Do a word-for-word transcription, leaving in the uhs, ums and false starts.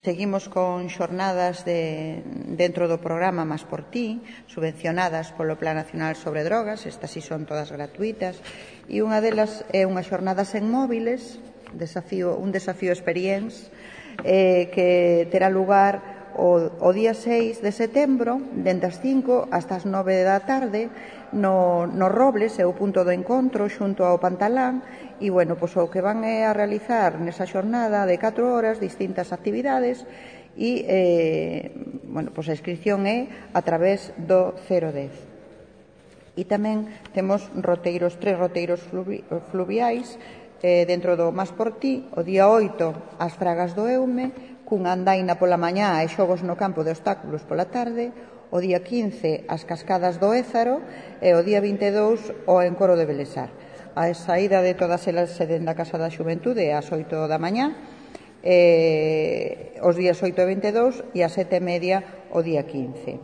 Seguimos con xornadas de, dentro do programa Más por Ti, subvencionadas polo Plan Nacional sobre Drogas. Estas sí son todas gratuitas, e unha delas é unha xornada sen móviles, desafío, un desafío experience, eh, que terá lugar o, o día seis de setembro, dende as cinco hasta as nove da tarde, no, no Robles, é o punto do encontro, xunto ao Pantalán. E, bueno, pois o que van é a realizar nesa xornada de catro horas distintas actividades e, eh, bueno, pois a inscripción é a través do cero dez. E tamén temos roteiros, tres roteiros fluvi fluviais eh, dentro do Más por Ti. O día oito, as Fragas do Eume, cunha andaina pola mañá e xogos no campo de obstáculos pola tarde. O día quince, as Cascadas do Ézaro, e o día vinte e dous, o Encoro de Belesar. A saída de todas elas se den da Casa da Xuventude ás oito da mañá, eh, os días oito e vinte e dous, e ás sete e media o día quince.